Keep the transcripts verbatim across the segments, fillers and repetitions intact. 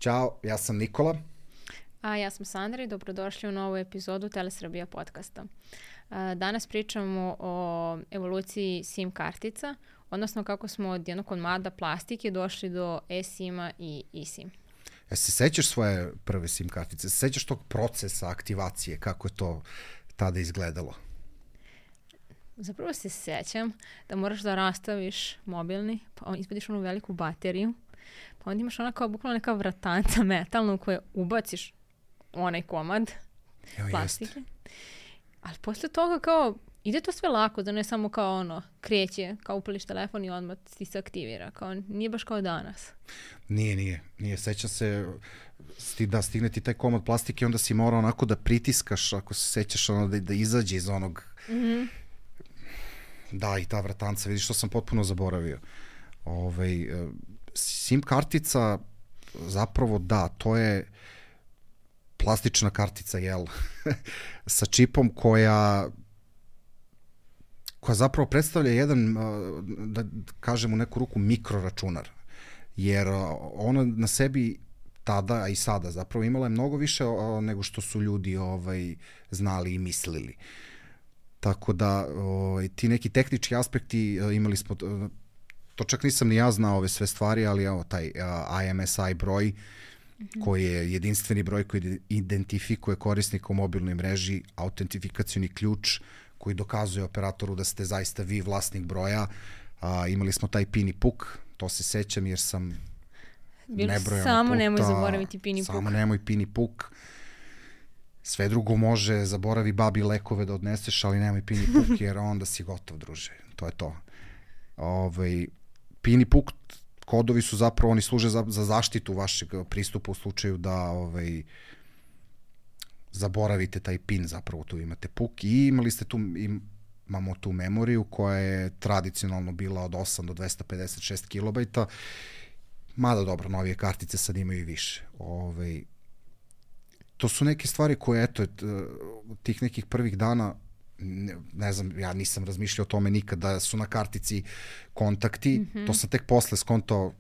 Ćao, ja sam Nikola. A ja sam Sandra i dobrodošli u novu epizodu Telesrbija podcasta. Danas pričamo o evoluciji SIM kartica, odnosno kako smo od jednog komada plastike došli do eSIM-a i eSIM. Ja se sećaš svoje prve SIM kartice? Se sećaš tog procesa aktivacije, kako je to tada izgledalo? Zapravo se sećam da moraš da rastaviš mobilni, pa izvadiš onu veliku bateriju, pa onda imaš ona kao bukvalno neka vratanca metalna u kojoj ubaciš onaj komad Jo, plastike. jest. Ali posle toga kao ide to sve lako, da ne samo kao ono kreće, kao upališ telefon i odmah ti se aktivira. Kao, nije baš kao danas. Nije, nije. Nije. Sećam se sti, da stigne ti taj komad plastike, onda si morao onako da pritiskaš, ako se sećaš, ono, da, da izađe iz onog... Mhm. Da, i ta vratanca, vidiš što sam potpuno zaboravio. Ovaj, SIM kartica, zapravo da, to je plastična kartica, jel, sa čipom koja koja zapravo predstavlja jedan, da kažem u neku ruku, mikroračunar. Jer ona na sebi tada, a i sada zapravo imala je mnogo više nego što su ljudi ovaj, znali i mislili. Tako da ovaj, ti neki tehnički aspekti imali smo, to čak nisam ni ja znao ove sve stvari, ali evo taj I M S I broj, mm-hmm. koji je jedinstveni broj koji identifikuje korisnika u mobilnoj mreži, autentifikacioni ključ koji dokazuje operatoru da ste zaista vi vlasnik broja. A, imali smo taj PIN i puk, to se sećam jer sam Bilo nebrojeno samo puta, nemoj zaboraviti PIN i puk. Samo nemoj PIN i puk. Sve drugo može, zaboravi babi lekove da odneseš, ali nemoj PIN i puk jer onda si gotov, druže. To je to. Ovaj, PIN i puk kodovi su zapravo, oni služe za, za zaštitu vašeg pristupa u slučaju da ovaj, zaboravite taj PIN, zapravo tu imate puk i imali ste tu, imamo tu memoriju koja je tradicionalno bila od osam do dvesta pedeset šest kilobajta, mada dobro, novije kartice sad imaju i više. Ovaj, to su neke stvari koje, eto, tih nekih prvih dana, ne, ne znam, ja nisam razmišljao o tome nikad, da su na kartici kontakti, mm-hmm. to sam tek posle skontao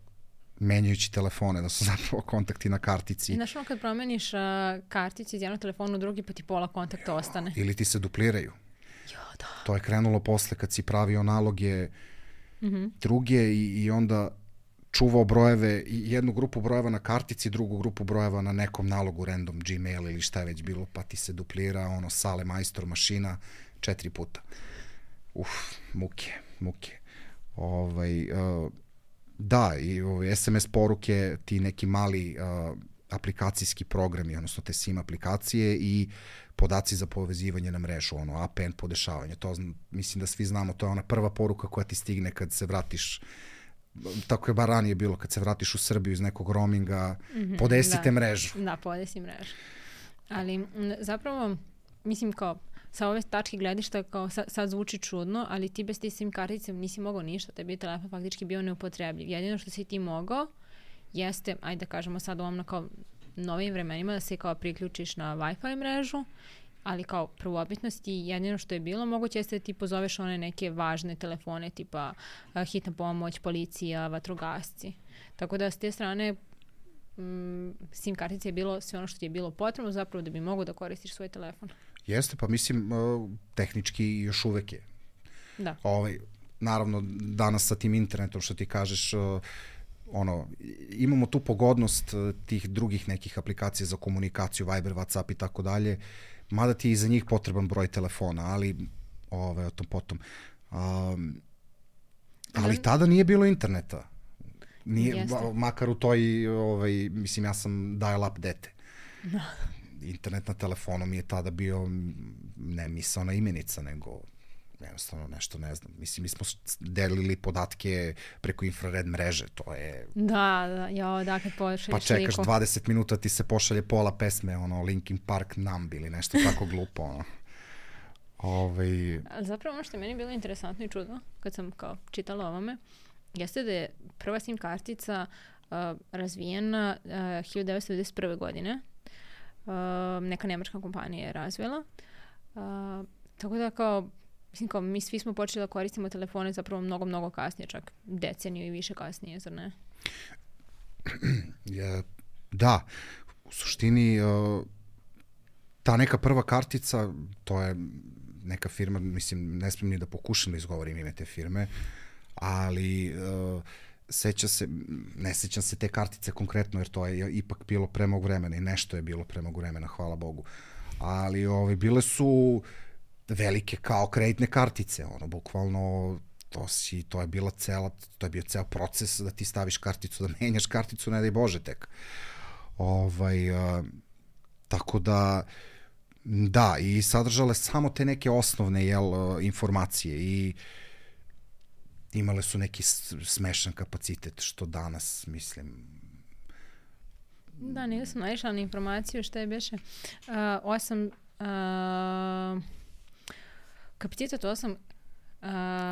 menjajući telefone, da su zapravo kontakti na kartici. I znaš ono kad promeniš uh, karticu iz jednog telefona u drugi, pa ti pola kontakta ostane. Ili ti se dupliraju. Jo, da. To je krenulo posle kad si pravio naloge mm-hmm. druge i, i onda čuvao brojeve, jednu grupu brojeva na kartici, drugu grupu brojeva na nekom nalogu, random, Gmail ili šta je već bilo, pa ti se duplira, ono, sale, majstor, mašina, četiri puta. Uf, muke, muke. Ovaj, uh, da, i ovaj, S M S poruke, ti neki mali uh, aplikacijski programi, odnosno te SIM aplikacije i podaci za povezivanje na mrežu, ono, A P N podešavanje. To, mislim da svi znamo, to je ona prva poruka koja ti stigne kad se vratiš, tako je bar ranije bilo, kad se vratiš u Srbiju iz nekog roaminga, mm-hmm, podesite da, mrežu. Da, podesi mrežu. Ali m, zapravo, mislim kao, sa ove tačke gledišta kao sa, sad zvuči čudno, ali ti bez te SIM kartice nisi mogao ništa, tebi je telefon faktički bio neupotrebljiv. Jedino što si ti mogao jeste, ajde da kažemo sad u ovom kao novim vremenima, da se kao priključiš na Wi-Fi mrežu, ali kao prvobitnost i jedino što je bilo moguće jeste da ti pozoveš one neke važne telefone tipa uh, hitna pomoć, policija, vatrogasci. Tako da s te strane mm, SIM kartice je bilo sve ono što ti je bilo potrebno zapravo da bi mogao da koristiš svoj telefon. Jeste, pa mislim uh, tehnički još uvek je. Da. Ovaj, naravno danas sa tim internetom što ti kažeš, uh, ono, imamo tu pogodnost uh, tih drugih nekih aplikacija za komunikaciju, Viber, WhatsApp i tako dalje, mada ti je i za njih potreban broj telefona, ali ove, o tom potom. Um, ali tada nije bilo interneta. Nije, makar u toj, ovaj, mislim, ja sam dial-up dete. Da. Internet na telefonu mi je tada bio ne misaona imenica, nego jednostavno nešto, ne znam. Mislim, mi smo delili podatke preko infrared mreže, to je... Da, da, jo, da, kad pošalješ pa čekaš liku. dvadeset minuta ti se pošalje pola pesme, ono, Linkin Park Numb ili nešto tako glupo, ono. Ovaj... Ali zapravo ono što je meni bilo interesantno i čudno, kad sam kao čitala ovome, jeste da je prva SIM kartica uh, razvijena uh, hiljadu devetsto devedeset prve. godine. Uh, neka nemačka kompanija je razvijela. Uh, tako da kao Mislim, kao mi svi smo počeli da koristimo telefone zapravo mnogo, mnogo kasnije, čak deceniju i više kasnije, zar ne? Ja, Da, u suštini uh, ta neka prva kartica, to je neka firma, mislim, ne smijem ni da pokušam da izgovorim ime te firme, ali uh, seća se, ne sećam se te kartice konkretno, jer to je ipak bilo pre mog vremena i nešto je bilo pre mog vremena, hvala Bogu. Ali ovaj, bile su velike kao kreditne kartice, ono, bukvalno to si, to je bila cela, to je bio ceo proces da ti staviš karticu, da menjaš karticu, ne daj Bože tek. Ovaj, uh, tako da, da, i sadržale samo te neke osnovne, jel, uh, informacije i imale su neki smešan kapacitet, što danas, mislim... Da, nisam naišla na informaciju što je beše uh, osam uh, kapacitet osam uh,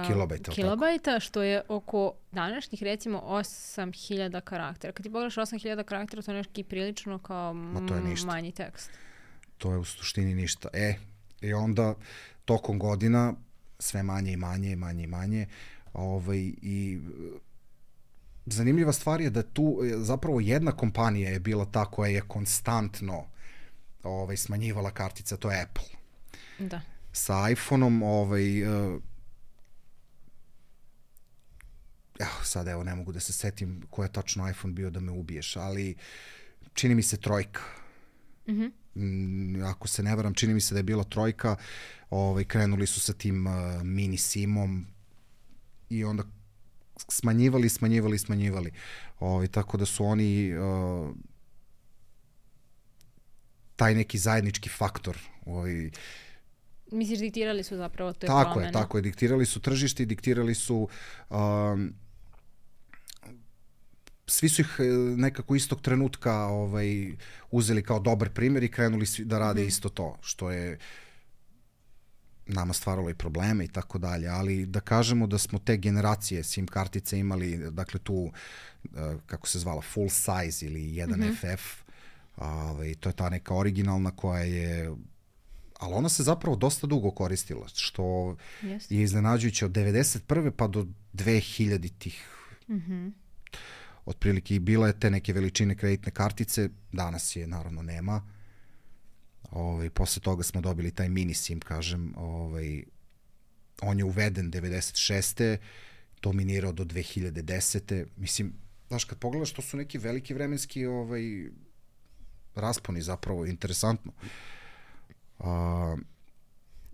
kilobajta, kilobajta, što je oko današnjih recimo osam hiljada karaktera. Kad ti pogledaš osam hiljada karaktera, to je neki prilično kao m- manji tekst. To je u suštini ništa. E, i onda tokom godina sve manje i manje, manje i manje. Ovaj, i zanimljiva stvar je da tu zapravo jedna kompanija je bila ta koja je konstantno ovaj, smanjivala kartica, to je Apple. Da. Sa iPhone-om, ovaj, uh, evo, sad evo ne mogu da se setim ko je tačno iPhone bio da me ubiješ, ali čini mi se trojka. Mhm. Mm, ako se ne varam, čini mi se da je bila trojka, ovaj, krenuli su sa tim uh, mini simom i onda smanjivali, smanjivali, smanjivali. Ovaj, tako da su oni uh, taj neki zajednički faktor. Ovaj, Misliš, diktirali su zapravo to je tako promena? je, tako je. Diktirali su tržište i diktirali su... Um, svi su ih nekako istog trenutka ovaj, uzeli kao dobar primjer i krenuli svi da rade mm-hmm. isto to, što je nama stvaralo i probleme i tako dalje, ali da kažemo da smo te generacije SIM kartice imali, dakle tu, kako se zvala, full size ili jedan mm-hmm. F F, ovaj, to je ta neka originalna koja je, ali ona se zapravo dosta dugo koristila, što yes. je iznenađujuće od devedeset prve pa do dve hiljaditih. Mhm. Otprilike i bila je te neke veličine kreditne kartice, danas je naravno nema. Ovaj, posle toga smo dobili taj mini SIM, kažem, ovaj, on je uveden devedeset šeste dominirao do dve hiljade desete Mislim, znaš, kad pogledaš, to su neki veliki vremenski ovaj, rasponi zapravo, interesantno. Uh,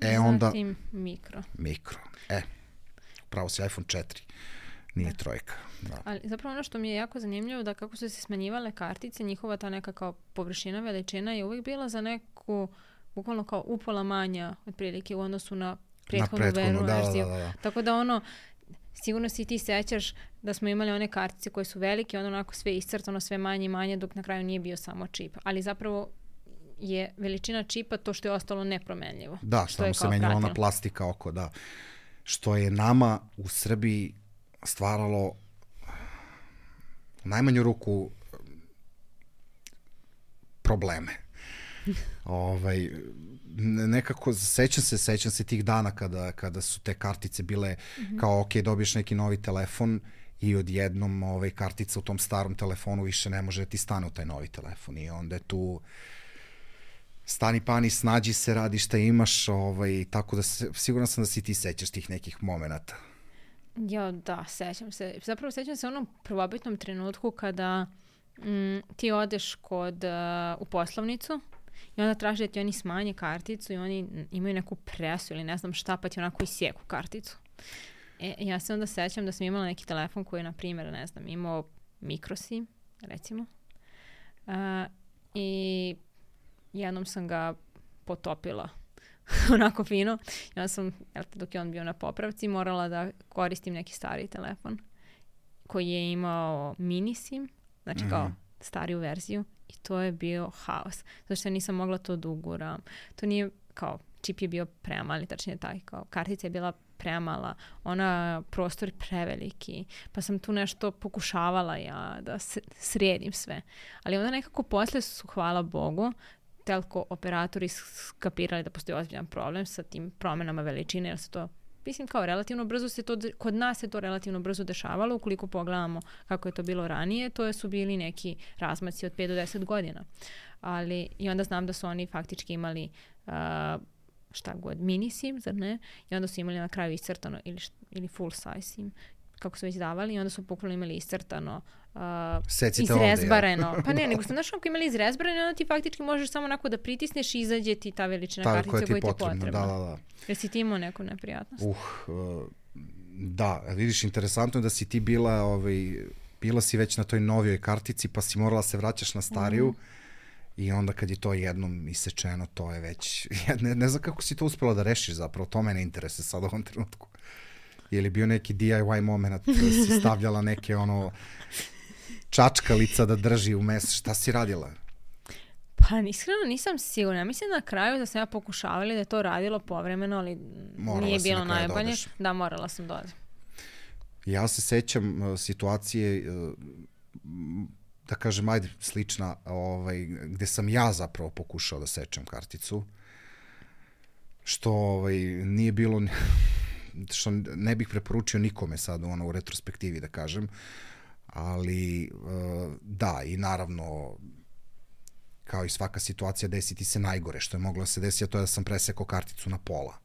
e, onda... Zatim mikro. Mikro. E, pravo si iPhone četiri. Nije da. Trojka. Da. Ali zapravo ono što mi je jako zanimljivo da kako su se smanjivale kartice, njihova ta neka kao površina, veličina je uvijek bila za neku, bukvalno kao upola manja otprilike u odnosu na prethodnu verziju. Da, da, da, da. Tako da ono, sigurno si ti sećaš da smo imali one kartice koje su velike, onda onako sve iscrtano, sve manje i manje, dok na kraju nije bio samo čip. Ali zapravo je veličina čipa to što je ostalo nepromenljivo. Da, samo se menjala ona plastika oko, da. Što je nama u Srbiji stvaralo u najmanju ruku probleme. ovaj, nekako sećam se, sećam se tih dana kada, kada su te kartice bile mm-hmm. kao ok, dobiješ neki novi telefon i odjednom ovaj, kartica u tom starom telefonu više ne može da ti stane u taj novi telefon i onda je tu stani pani, snađi se, radi šta imaš, ovaj, tako da se, siguran sam da si ti sećaš tih nekih momenata. Ja, da, sećam se. Zapravo sećam se onom prvobitnom trenutku kada mm, ti odeš kod, uh, u poslovnicu i onda traži da ti oni smanje karticu i oni imaju neku presu ili ne znam šta, pa ti onako isjeku karticu. E, ja se onda sećam da sam imala neki telefon koji je, na primjer, ne znam, imao microSIM, recimo. Uh, I jednom sam ga potopila onako fino. Ja sam, dok je on bio na popravci, morala da koristim neki stari telefon koji je imao mini SIM, znači kao mm-hmm. stariju verziju i to je bio haos. Zato što nisam mogla to da uguram. To nije kao, čip je bio premali, tačnije taj, kao kartica je bila premala, ona prostor preveliki, pa sam tu nešto pokušavala ja da sredim sve. Ali onda nekako posle su, hvala Bogu, telko operatori skapirali da postoji ozbiljan problem sa tim promenama veličine, jer se to mislim kao relativno brzo se to, kod nas se to relativno brzo dešavalo, ukoliko pogledamo kako je to bilo ranije, to su bili neki razmaci od pet do deset godina. Ali, i onda znam da su oni faktički imali uh, šta god, mini SIM, zar ne? I onda su imali na kraju iscrtano ili, ili full size SIM, kako su već davali, i onda su bukvalno imali iscrtano uh, izrezbareno. Ovdje, ja. Pa ne, nego su znaš kako imali izrezbareno, onda ti faktički možeš samo onako da pritisneš i izađe ti ta veličina ta, kartice koja ti je potrebna. Da, da, da. Jer si ti imao neku neprijatnost? Uh, uh, da, vidiš, interesantno je da si ti bila, ovaj, bila si već na toj novijoj kartici, pa si morala se vraćaš na stariju. Mm. I onda kad je to jednom isečeno, to je već... Ne, ne znam kako si to uspela da rešiš zapravo, to mene interese sad u ovom trenutku. Je li bio neki D I Y moment, da si stavljala neke ono čačkalica da drži u mes, šta si radila? Pa iskreno nisam sigurna. Mislim na kraju da sam ja pokušavala da je to radilo povremeno, ali morala nije bilo najbolje. Da, morala sam dodati. Ja se sećam uh, situacije... Uh, da kažem, ajde, slična, ovaj, gde sam ja zapravo pokušao da sečem karticu, što ovaj, nije bilo, što ne bih preporučio nikome sad ono, u retrospektivi da kažem, ali da, i naravno, kao i svaka situacija, desi ti se najgore, što je moglo da se desi, a to je da sam presekao karticu na pola.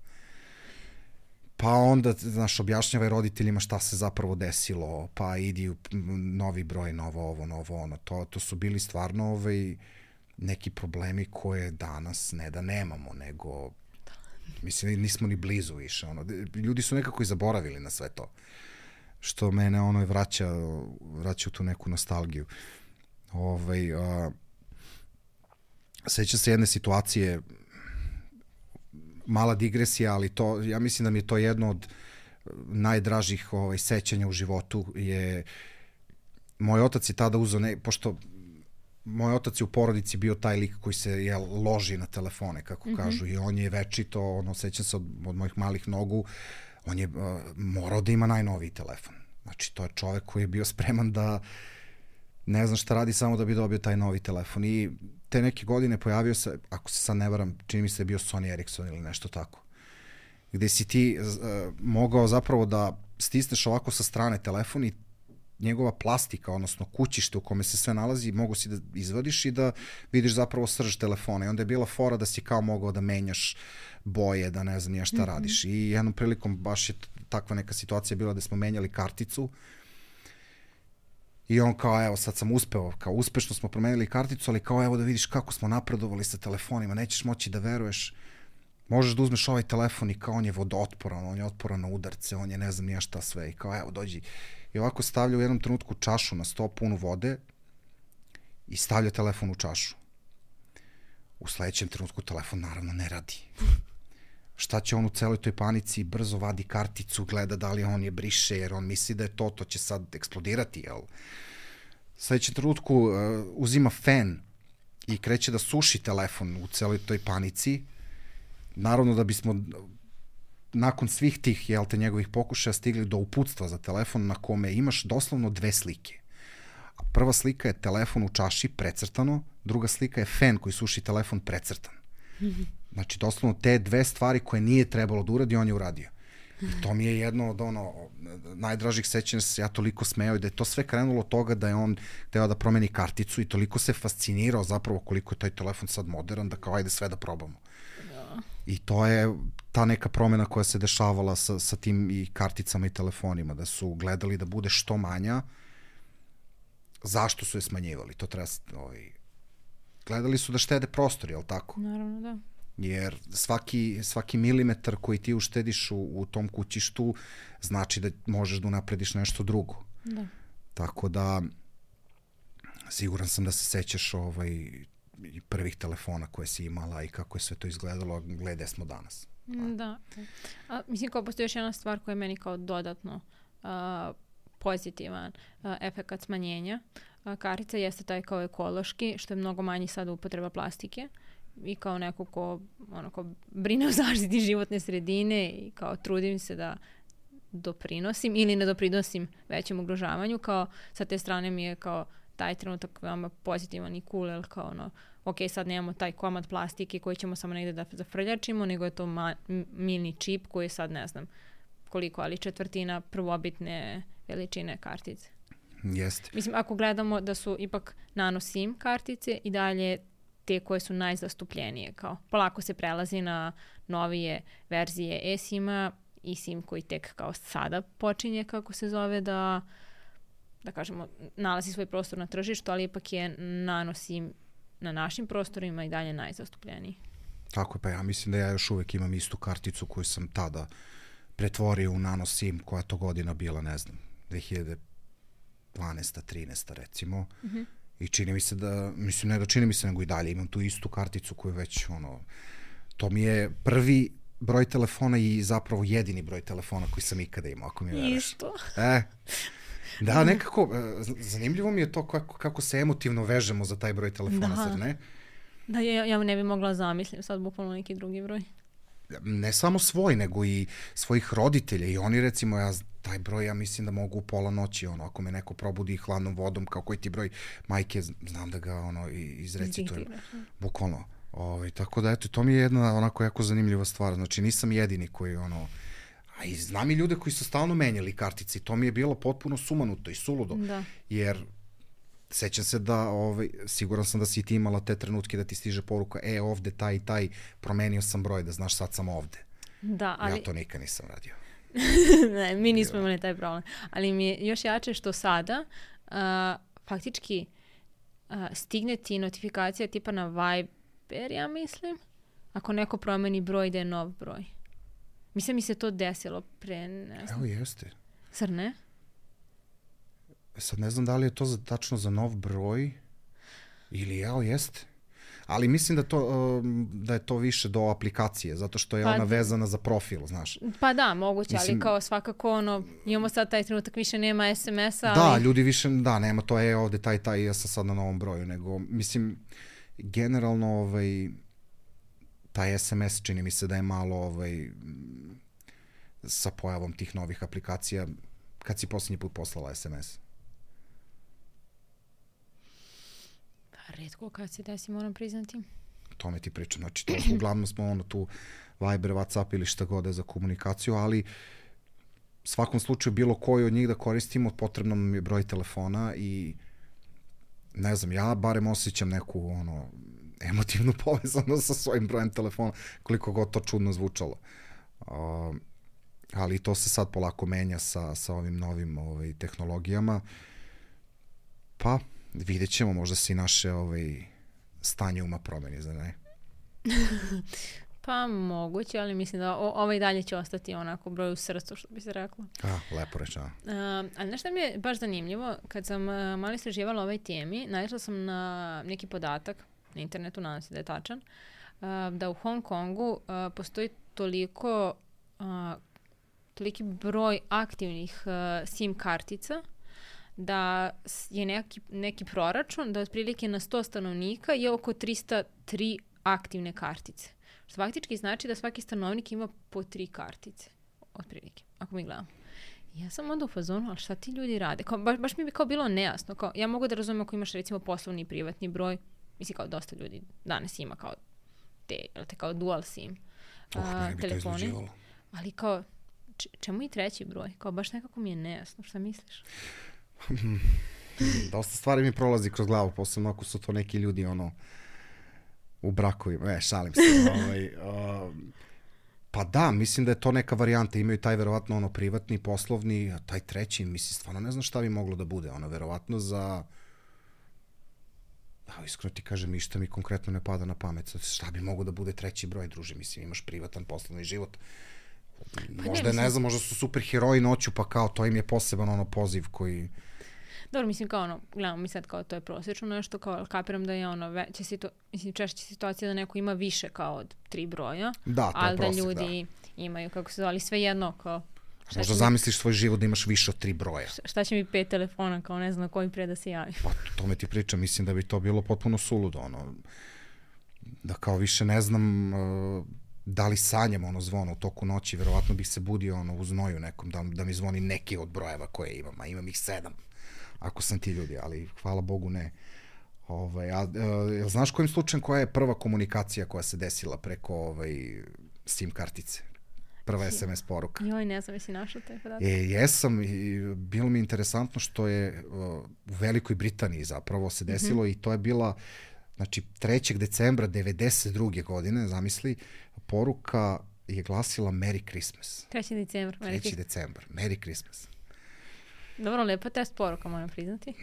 Pa onda, znaš, objašnjavaj roditeljima šta se zapravo desilo, pa idi u novi broj, novo ovo, novo ono. To, to su bili stvarno ovaj, neki problemi koje danas ne da nemamo, nego, mislim, nismo ni blizu više. Ono. Ljudi su nekako i zaboravili na sve to, što mene ono vraća, vraća u tu neku nostalgiju. Ovaj, a, seća se jedne situacije, mala digresija, ali to, ja mislim da mi je to jedno od najdražih ovaj, sećanja u životu je, moj otac je tada uzeo, ne, pošto moj otac je u porodici bio taj lik koji se je, loži na telefone, kako mm-hmm. kažu, i on je večito, ono, sećam se od, od mojih malih nogu, on je uh, morao da ima najnoviji telefon. Znači, to je čovek koji je bio spreman da ne znam šta radi samo da bi dobio taj novi telefon. I te neke godine pojavio se, ako se sad ne varam, čini mi se je bio Sony Ericsson ili nešto tako, gde si ti uh, mogao zapravo da stisneš ovako sa strane telefon i njegova plastika, odnosno kućište u kome se sve nalazi, mogu si da izvadiš i da vidiš zapravo srž telefona. I onda je bila fora da si kao mogao da menjaš boje, da ne znam ja šta mm-hmm. radiš. I jednom prilikom baš je takva neka situacija bila da smo menjali karticu i on kao, evo, sad sam uspeo, kao uspešno smo promenili karticu, ali kao, evo da vidiš kako smo napredovali sa telefonima, nećeš moći da veruješ, možeš da uzmeš ovaj telefon i kao on je vodootporan, on je otporan na udarce, on je ne znam nije šta sve i kao, evo, dođi. I ovako stavlja u jednom trenutku čašu na sto punu vode i stavlja telefon u čašu. U sledećem trenutku telefon naravno ne radi. Šta će on u celoj toj panici? Brzo vadi karticu, gleda da li on je briše, jer on misli da je to, to će sad eksplodirati, jel? U sledećem trenutku uh, uzima fen i kreće da suši telefon u celoj toj panici. Naravno da bismo nakon svih tih, jel te, njegovih pokušaja stigli do uputstva za telefon na kome imaš doslovno dve slike. Prva slika je telefon u čaši precrtano, druga slika je fen koji suši telefon precrtan. Mm-hmm. Znači, doslovno te dve stvari koje nije trebalo da uradi, on je uradio. I to mi je jedno od ono, najdražih sećanja, se ja toliko smeo i da je to sve krenulo od toga da je on teo da promeni karticu i toliko se fascinirao zapravo koliko je taj telefon sad modern, da kao ajde sve da probamo. Ja. I to je ta neka promena koja se dešavala sa, sa tim i karticama i telefonima, da su gledali da bude što manja. Zašto su je smanjivali? To treba, ovaj, gledali su da štede prostor, jel tako? Naravno, da. Jer svaki, svaki milimetar koji ti uštediš u, u tom kućištu znači da možeš da unaprediš nešto drugo. Da. Tako da siguran sam da se sećaš ovaj, prvih telefona koje si imala i kako je sve to izgledalo, glede smo danas. Da. da. A, mislim, kao postoji još jedna stvar koja je meni kao dodatno uh, pozitivan uh, efekt smanjenja. Uh, kartica jeste taj kao ekološki, što je mnogo manji sada upotreba plastike. I kao neko ko, ono, ko brine o zaštiti životne sredine i kao trudim se da doprinosim ili ne doprinosim većem ugrožavanju, kao sa te strane mi je kao taj trenutak veoma pozitivan i cool, jer kao ono, ok, sad nemamo taj komad plastike koji ćemo samo negde da zafrljačimo, nego je to ma, mini čip koji je sad, ne znam, koliko, ali četvrtina prvobitne veličine kartice. Jeste. Mislim, ako gledamo da su ipak nano SIM kartice i dalje te koje su najzastupljenije. Kao, polako se prelazi na novije verzije e-SIM-a i SIM koji tek kao sada počinje, kako se zove, da da kažemo, nalazi svoj prostor na tržištu, ali ipak je nano SIM na našim prostorima i dalje najzastupljeniji. Tako je, pa ja mislim da ja još uvek imam istu karticu koju sam tada pretvorio u nano SIM, koja to godina bila, ne znam, dve hiljade dvanaesta trinaesta recimo. Mm-hmm. I čini mi se da, mislim, ne da čini mi se, nego i dalje imam tu istu karticu koju već, ono, to mi je prvi broj telefona i zapravo jedini broj telefona koji sam ikada imao, ako mi veruješ. Isto. E, da, nekako, zanimljivo mi je to kako, kako se emotivno vežemo za taj broj telefona, da. Sad, ne? Da, ja, ja ne bi mogla zamislim sad bukvalno neki drugi broj. Ne samo svoj, nego i svojih roditelja i oni, recimo, ja taj broj, ja mislim da mogu u pola noći, ono, ako me neko probudi hladnom vodom, kao koji ti broj majke, znam da ga, ono, izrecitujem. Bukvalno. Ovaj, tako da, eto, to mi je jedna onako jako zanimljiva stvar. Znači, nisam jedini koji, ono, a i znam i ljude koji su stalno menjali kartice i to mi je bilo potpuno sumanuto i suludo. Da. Jer sećam se da, ovaj, siguran sam da si ti imala te trenutke da ti stiže poruka, e, ovde taj i taj, promenio sam broj, da znaš, sad sam ovde. Da, ali... Ja to nikad nisam radio. Ne, mi nismo imali taj problem. Ali mi je još jače što sada uh, faktički uh, stigne ti notifikacija tipa na Viber, ja mislim, ako neko promeni broj da je nov broj. Mislim mi se to desilo pre, ne znam. Evo jeste. Zar ne? Sad ne znam da li je to za, tačno za nov broj ili evo jeste. Ali mislim da, to, da je to više do aplikacije, zato što je pa, ona vezana za profil, znaš. Pa da, moguće, mislim, ali kao svakako ono, imamo sad taj trenutak, više nema es em es-a. Da, ali... ljudi više, da, nema to, je ovde taj, taj, ja sam sad na novom broju, nego, mislim, generalno, ovaj, taj es em es čini mi se da je malo, ovaj, sa pojavom tih novih aplikacija, kad si posljednji put poslala es em es? Retko kad se desi, moram priznati. To me ti pričam. Znači, to, uglavnom smo ono tu Viber, WhatsApp ili šta god je za komunikaciju, ali svakom slučaju bilo koji od njih da koristimo, potrebno nam je broj telefona i ne znam, ja barem osjećam neku ono, emotivnu povezanost sa svojim brojem telefona, koliko god to čudno zvučalo. Uh, ali to se sad polako menja sa, sa ovim novim ovaj, tehnologijama. Pa, vidjet ćemo, možda se i naše ovaj, stanje uma promeni, za ne? Pa moguće, ali mislim da o, ovaj dalje će ostati onako broj u srcu, što bi se reklo. A, lepo reći, a. Uh, ali nešto mi je baš zanimljivo, kad sam uh, malo istraživala o ovoj temi, naišla sam na neki podatak na internetu, nadam se da je tačan, uh, da u Hong Kongu uh, postoji toliko, uh, toliki broj aktivnih uh, SIM kartica, da je neki, neki proračun da otprilike na sto stanovnika je oko tristo tri aktivne kartice. Što faktički znači da svaki stanovnik ima po tri kartice. Otprilike, ako mi gledamo. Ja sam onda u fazonu, ali šta ti ljudi rade? Kao, baš, baš mi bi kao bilo nejasno. Kao, ja mogu da razumijem ako imaš recimo poslovni i privatni broj. Mislim kao dosta ljudi danas ima kao te, te kao dual SIM uh, uh, telefoni. Ali kao, čemu i treći broj? Kao baš nekako mi je nejasno. Šta misliš? Dosta stvari mi prolazi kroz glavu, posebno ako su to neki ljudi ono u brakovima, e, šalim se. ovaj, uh, pa da, mislim da je to neka varijanta, imaju taj verovatno ono privatni, poslovni, a taj treći, mislim, stvarno ne znam šta bi moglo da bude, ono, verovatno za, a, iskreno ti kažem, ništa mi konkretno ne pada na pamet, šta bi moglo da bude treći broj, druže, mislim, imaš privatan poslovni život, možda, ne, ne znam, možda su super heroji noću, pa kao, to im je poseban ono poziv koji... Dobro, mislim kao ono, gledamo mi sad kao to je prosječno nešto, kao kapiram da je ono veće situ, mislim češće situacija da neko ima više kao od tri broja, da, ali prosjek, da ljudi da. Imaju, kako se zvali, sve jedno kao... Možda zamisliš svoj život da imaš više od tri broja. Šta, šta će mi pet telefona, kao ne znam na koji pre da se javi. Pa to me ti pričam, mislim da bi to bilo potpuno suludo, ono, da kao više ne znam... Uh, da li sanjam ono zvono u toku noći, verovatno bih se budio ono u znoju nekom, da, da mi zvoni neki od brojeva koje imam, a imam ih sedam, ako sam ti ljudi, ali hvala Bogu ne. Ovaj, a, a, znaš kojim slučajem koja je prva komunikacija koja se desila preko ovaj, SIM kartice? prva es em es poruka. Joj, ne znam, jesi našao taj podatak? E, jesam i bilo mi interesantno što je uh, u Velikoj Britaniji zapravo se desilo mm-hmm. i to je bila, znači, trećeg decembra devedeset druge godine, zamisli, poruka je glasila Merry Christmas. trećeg decembra. trećeg decembra, Merry Christmas. Dobro, lepa test poruka, moram priznati.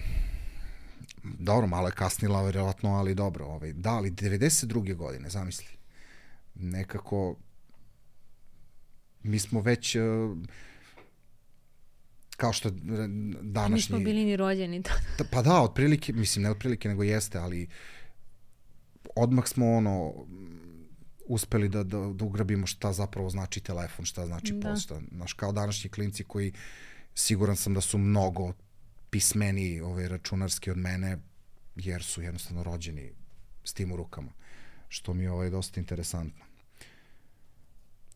Dobro, malo je kasnila, vjerojatno, ali dobro. Ovaj, da, ali devedeset druge godine, zamisli. Nekako, mi smo već, kao što današnji... Mi smo bili ni rođeni. Da, pa da, otprilike, mislim, ne otprilike, nego jeste, ali odmah smo ono... uspeli da, da, da ugrabimo šta zapravo znači telefon, šta znači da. Pošta. Znaš, kao današnji klinci koji siguran sam da su mnogo pismeniji ovaj, računarski od mene, jer su jednostavno rođeni s tim u rukama, što mi je ovaj, dosta interesantno.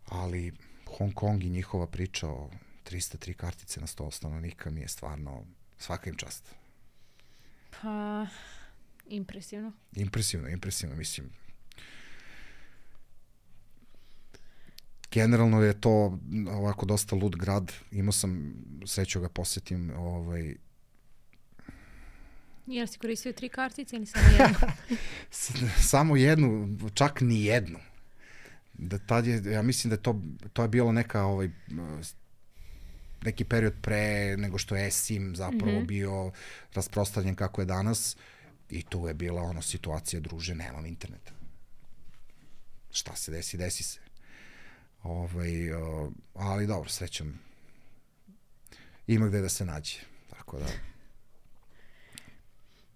Ali Hong Kong i njihova priča o trista tri kartice na sto stanovnika mi je stvarno svaka im čast. Pa, impresivno. Impresivno, impresivno, mislim. Generalno je to ovako dosta lud grad. Imao sam sreću ga posjetim. Ovaj... Jel si koristio tri kartice ili samo jednu? Samo jednu, čak ni jednu. Da tad je, ja mislim da je to, to je bilo neka, ovaj, neki period pre nego što je eSIM zapravo mm-hmm. bio rasprostranjen kako je danas i tu je bila ono situacija, druže, nemam interneta. Šta se desi, desi se. Ovaj, uh, ali dobro, srećom ima gde da se nađe, tako da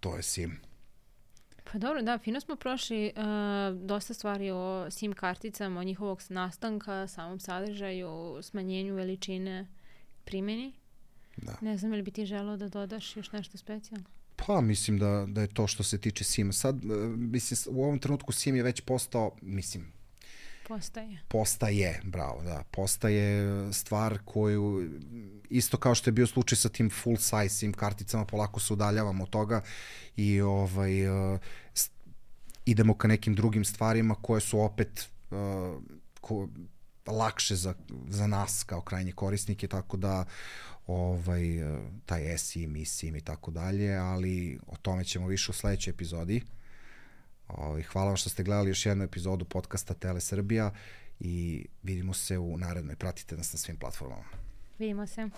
to je SIM. Pa dobro, da, fino smo prošli uh, dosta stvari o SIM karticama, o njihovog nastanka, samom sadržaju, smanjenju veličine, primjeni. Da. Ne znam, ili bi ti želeo da dodaš još nešto specijalno? Pa mislim da, da je to što se tiče SIM. Sad, uh, mislim, u ovom trenutku SIM je već postao, mislim, Postaje. Postaje, bravo, da. Postaje stvar koju, isto kao što je bio slučaj sa tim full size SIM karticama, polako se udaljavamo od toga i ovaj, uh, st- idemo ka nekim drugim stvarima koje su opet uh, ko, lakše za, za nas kao krajnje korisnike, tako da ovaj, uh, taj eSIM, eSIM i tako dalje, ali o tome ćemo više u sledećoj epizodi. Hvala vam što ste gledali još jednu epizodu podcasta Tele Srbija i vidimo se u narednoj. Pratite nas na svim platformama. Vidimo se.